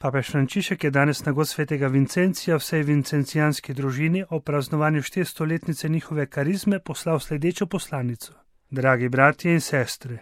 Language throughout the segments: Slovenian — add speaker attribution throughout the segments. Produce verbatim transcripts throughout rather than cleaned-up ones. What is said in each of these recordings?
Speaker 1: Papež Frančišek je danes na god svetega Vincencija vsej vincencijanski družini o praznovanju štiristoletnice njihove karizme poslal sledečo poslanico. Dragi bratje in sestre,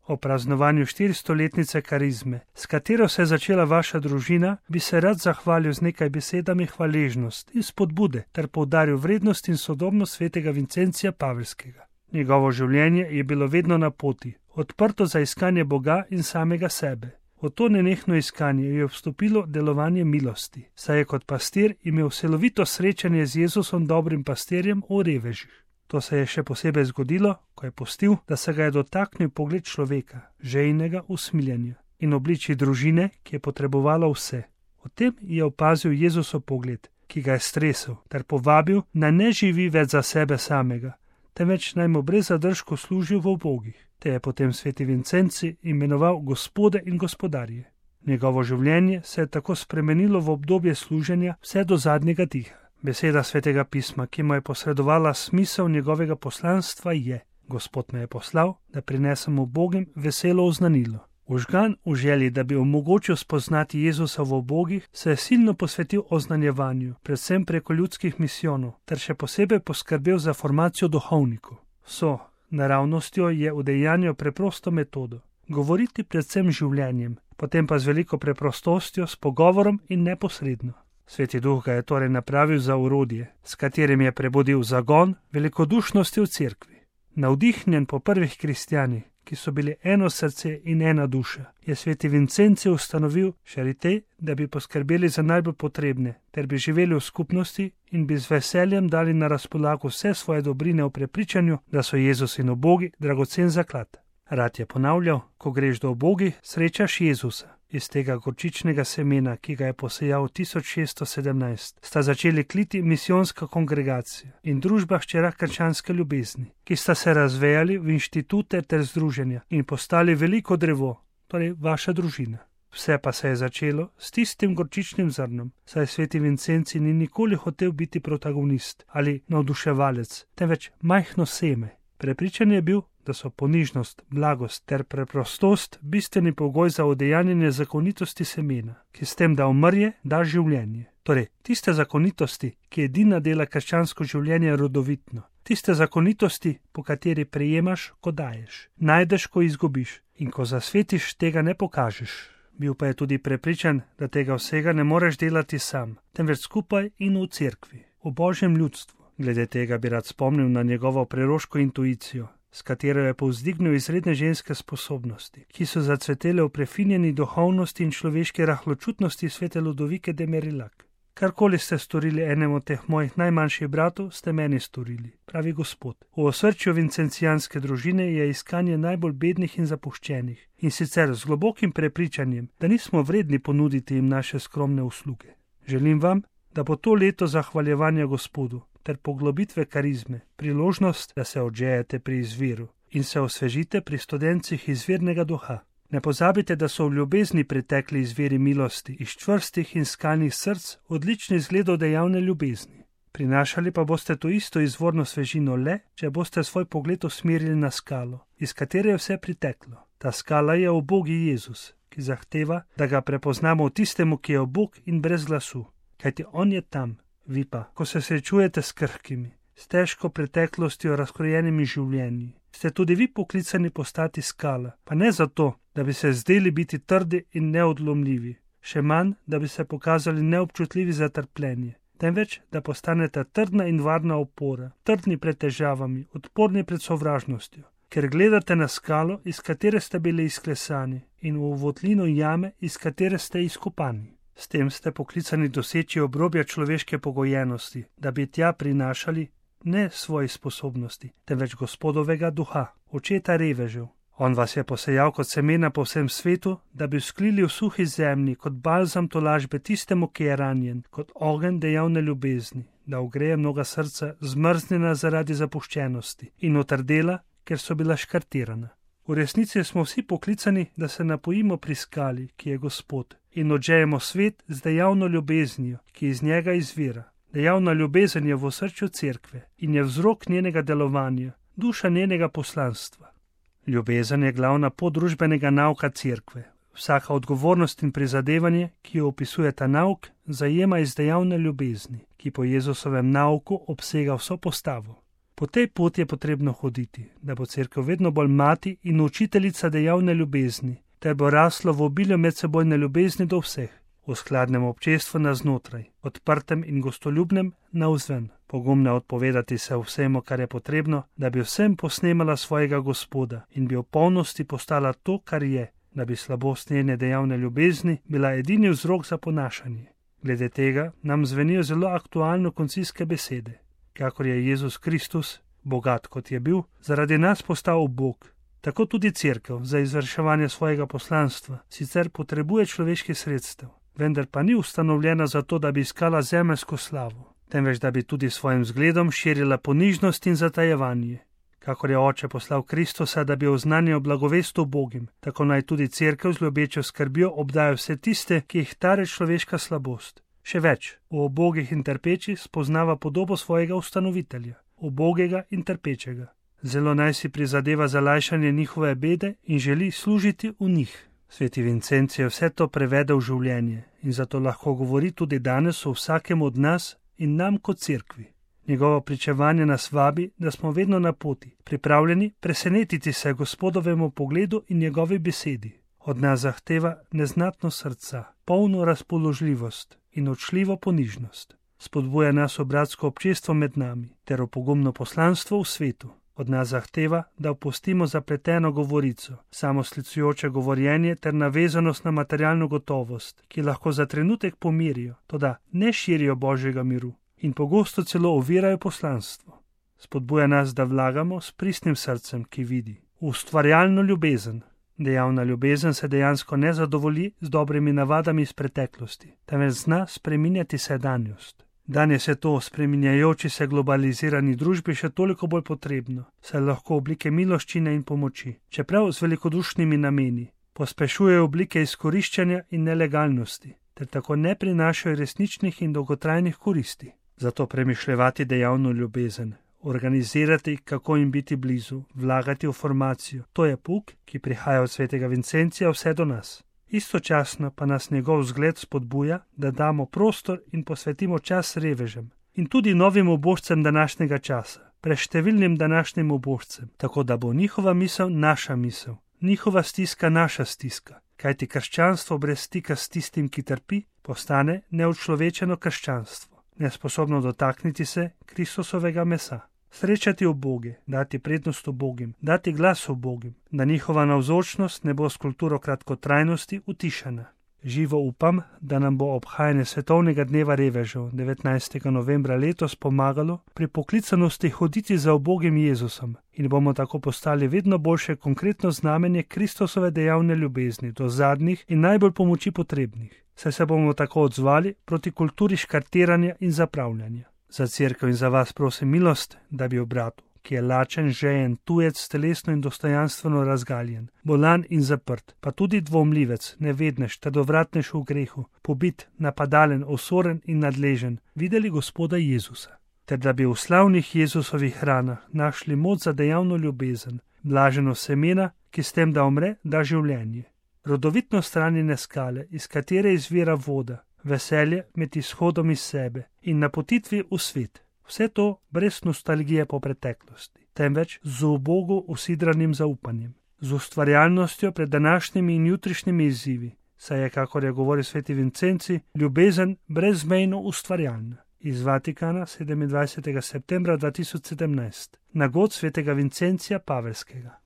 Speaker 1: o praznovanju štiristoletnice karizme, s katero se je začela vaša družina, bi se rad zahvalil z nekaj besedami hvaležnost in spodbude ter poudaril vrednost in sodobnost svetega Vincencija Pavelskega. Njegovo življenje je bilo vedno na poti, odprto za iskanje Boga in samega sebe. V to nenehno iskanje je vstopilo delovanje milosti, saj je kot pastir imel celovito srečanje z Jezusom dobrim pastirjem v revežih. To se je še posebej zgodilo, ko je pustil, da se ga je dotaknil pogled človeka, žejnega usmiljenja in obliči družine, ki je potrebovala vse. O tem je opazil Jezusov pogled, ki ga je stresel, ter povabil, naj ne živi več za sebe samega, temveč naj mu brez zadržkov služil v ubogih. Te je potem sveti Vincenci imenoval gospode in gospodarje. Njegovo življenje se je tako spremenilo v obdobje služenja vse do zadnjega diha. Beseda svetega pisma, ki mu je posredovala smisel njegovega poslanstva, je: Gospod me je poslal, da prinesem ubogim veselo oznanilo. Užgan v želji, da bi omogočil spoznati Jezusa v ubogih, se je silno posvetil oznanjevanju, predvsem preko ljudskih misijonov, ter še posebej poskrbel za formacijo duhovnikov. So naravnostjo je udejanjal preprosto metodo, govoriti predvsem življenjem, potem pa z veliko preprostostjo, s pogovorom in neposredno. Sveti duh ga je torej napravil za orodje, s katerim je prebudil zagon velikodušnosti v cerkvi. Navdihnjen po prvih kristjanih, ki so bili eno srce in ena duša, je sveti Vincenci ustanovil šarite, da bi poskrbeli za najbolj potrebne, ter bi živeli v skupnosti in bi z veseljem dali na razpolago vse svoje dobrine v prepričanju, da so Jezus in ubogi dragocen zaklad. Rad je ponavljal, ko greš do ubogih, srečaš Jezusa. Iz tega gorčičnega semena, ki ga je posejal tisoč šeststo sedemnajst, sta začeli kliti misijonska kongregacija in družba hčera krščanske ljubezni, ki sta se razvejali v inštitute ter združenja in postali veliko drevo, torej vaša družina. Vse pa se je začelo s tistim gorčičnim zrnom, saj sveti Vincenci ni nikoli hotel biti protagonist ali navduševalec, temveč majhno seme. Prepričan je bil, da so ponižnost, blagost ter preprostost bistveni pogoj za udejanjenje zakonitosti semena, ki s tem, da umrje, da življenje. Torej, tiste zakonitosti, ki edina dela krščansko življenje rodovitno, tiste zakonitosti, po kateri prejemaš, ko daješ, najdeš, ko izgubiš in ko zasvetiš, tega ne pokažeš. Bil pa je tudi prepričan, da tega vsega ne moreš delati sam, temveč skupaj in v cerkvi, v Božjem ljudstvu. Glede tega bi rad spomnil na njegovo preroško intuicijo, s katero je povzdignil izredne ženske sposobnosti, ki so zacvetele v prefinjeni duhovnosti in človeški rahločutnosti svete Ludovike de Marillac. Karkoli ste storili enemu teh mojih najmanjših bratov, ste meni storili, pravi Gospod. V osrčju vincencijanske družine je iskanje najbolj bednih in zapuščenih, in sicer z globokim prepričanjem, da nismo vredni ponuditi jim naše skromne usluge. Želim vam, da bo to leto zahvaljevanja Gospodu ter poglobitve karizme, priložnost, da se odžejete pri izviru in se osvežite pri študencih izvirnega duha. Ne pozabite, da so v ljubezni pritekli izviri milosti iz čvrstih in skalnih src, odlični zgledov dejavne ljubezni. Prinašali pa boste to isto izvorno svežino le, če boste svoj pogled usmerili na skalo, iz katere je vse priteklo. Ta skala je ubogi Jezus, ki zahteva, da ga prepoznamo v tistemu, ki je ubog in brez glasu, kajti on je tam. Vi pa, ko se srečujete s krhkimi, s težko preteklostjo razkrojenimi življenji, ste tudi vi poklicani postati skala, pa ne zato, da bi se zdeli biti trdi in neodlomljivi, še manj, da bi se pokazali neobčutljivi za trpljenje, temveč, da postanete trdna in varna opora, trdni pred težavami, odporni pred sovražnostjo, ker gledate na skalo, iz katere ste bili izklesani, in v votlino jame, iz katere ste izkopani. S tem ste poklicani doseči obrobja človeške pogojenosti, da bi tja prinašali ne svoje sposobnosti, temveč Gospodovega duha, očeta revežev. On vas je posejal kot semena po vsem svetu, da bi vzklili v suhi zemlji kot balzam tolažbe tistemu, ki je ranjen, kot ogenj dejavne ljubezni, da ogreje mnoga srca zmrznjena zaradi zapuščenosti in otrdela, ker so bila škartirana. V resnici smo vsi poklicani, da se napojimo pri skali, ki je Gospod, in odžejemo svet z dejavno ljubeznijo, ki iz njega izvira. Dejavna ljubezen je v osrčju cerkve in je vzrok njenega delovanja, duša njenega poslanstva. Ljubezen je glavna pot družbenega nauka cerkve. Vsaka odgovornost in prizadevanje, ki jo opisuje ta nauk, zajema iz dejavne ljubezni, ki po Jezusovem nauku obsega vso postavo. Po tej poti je potrebno hoditi, da bo cerkev vedno bolj mati in učiteljica dejavne ljubezni, ter bo raslo v obilju medsebojne ljubezni do vseh, v skladnem občestvu navznotraj, odprtem in gostoljubnem navzven, pogumna odpovedati se vsemu, kar je potrebno, da bi vsem posnemala svojega Gospoda in bi v polnosti postala to, kar je, da bi slabost njene dejavne ljubezni bila edini vzrok za ponašanje. Glede tega nam zvenijo zelo aktualno koncilske besede. Kakor je Jezus Kristus, bogat kot je bil, zaradi nas postal Bog, tako tudi cerkev za izvrševanje svojega poslanstva sicer potrebuje človeških sredstev, vendar pa ni ustanovljena zato, da bi iskala zemeljsko slavo, temveč da bi tudi svojim zgledom širila ponižnost in zatajevanje. Kakor je Oče poslal Kristusa, da bi oznanjal blagovest ubogim, tako naj tudi cerkev z ljubečo skrbjo obdaja vse tiste, ki jih tare človeška slabost. Še več, v ubogih in trpečih spoznava podobo svojega ustanovitelja, ubogega in trpečega. Zelo naj si prizadeva za lajšanje njihove bede in želi služiti v njih. Sveti Vincenc je vse to prevedel v življenje in zato lahko govori tudi danes o vsakem od nas in nam kot cerkvi. Njegovo pričevanje nas vabi, da smo vedno na poti, pripravljeni presenetiti se Gospodovemu pogledu in njegovi besedi. Od nas zahteva neznatno srca, polno razpoložljivost in odšljivo ponižnost. Spodbuja nas v bratsko občestvo med nami ter v pogumno poslanstvo v svetu. Od nas zahteva, da opustimo zapleteno govorico, samoslicujoče govorjenje ter navezanost na materialno gotovost, ki lahko za trenutek pomirijo, toda ne širijo Božjega miru in pogosto celo ovirajo poslanstvo. Spodbuja nas, da vlagamo s pristnim srcem, ki vidi, v ustvarjalno ljubezen. Dejavna ljubezen se dejansko ne zadovolji z dobrimi navadami iz preteklosti, temveč zna spreminjati sedanjost. Danes je to v spreminjajoči se globalizirani družbi še toliko bolj potrebno, saj lahko oblike miloščine in pomoči, čeprav z velikodušnimi nameni, pospešujejo oblike izkoriščanja in nelegalnosti, ter tako ne prinašajo resničnih in dolgotrajnih koristi. Zato premišljevati dejavno ljubezen, organizirati, kako jim biti blizu, vlagati v formacijo. To je pouk, ki prihaja od svetega Vincencija vse do nas. Istočasno pa nas njegov zgled spodbuja, da damo prostor in posvetimo čas revežem in tudi novim ubožcem današnjega časa, preštevilnim današnjim ubožcem, tako da bo njihova misel naša misel, njihova stiska naša stiska, kajti krščanstvo brez stika s tistim, ki trpi, postane neučlovečeno krščanstvo, nesposobno dotakniti se Kristusovega mesa. Srečati uboge, dati prednost ubogim, dati glas ubogim, da njihova navzočnost ne bo s kulturo kratkotrajnosti utišana. Živo upam, da nam bo obhajanje svetovnega dneva revežev devetnajstega novembra letos pomagalo pri poklicanosti hoditi za ubogim Jezusom in bomo tako postali vedno boljše konkretno znamenje Kristusove dejavne ljubezni do zadnjih in najbolj pomoči potrebnih, saj se bomo tako odzvali proti kulturi škartiranja in zapravljanja. Za cerkev in za vas prosim milost, da bi v bratu, ki je lačen, žejen, tujec, telesno in dostojanstveno razgaljen, bolan in zaprt, pa tudi dvomljivec, nevednež, trdovratnež v grehu, pobit, napadalen, osoren in nadležen, videli Gospoda Jezusa, ter da bi v slavnih Jezusovih hranah našli moč za dejavno ljubezen, blaženo semena, ki s tem, da umre, da življenje. Rodovitno stranjene skale, iz katere izvira voda, veselje med izhodom iz sebe in napotitvi v svet. Vse to brez nostalgije po preteklosti, temveč z ubogo usidranim zaupanjem, z ustvarjalnostjo pred današnjimi in jutrišnjimi izzivi, saj je, kakor je govoril sveti Vincenci, ljubezen brezmejno ustvarjalna. Iz Vatikana sedemindvajsetega septembra dva tisoč sedemnajst, na god svetega Vincencija Pavelskega.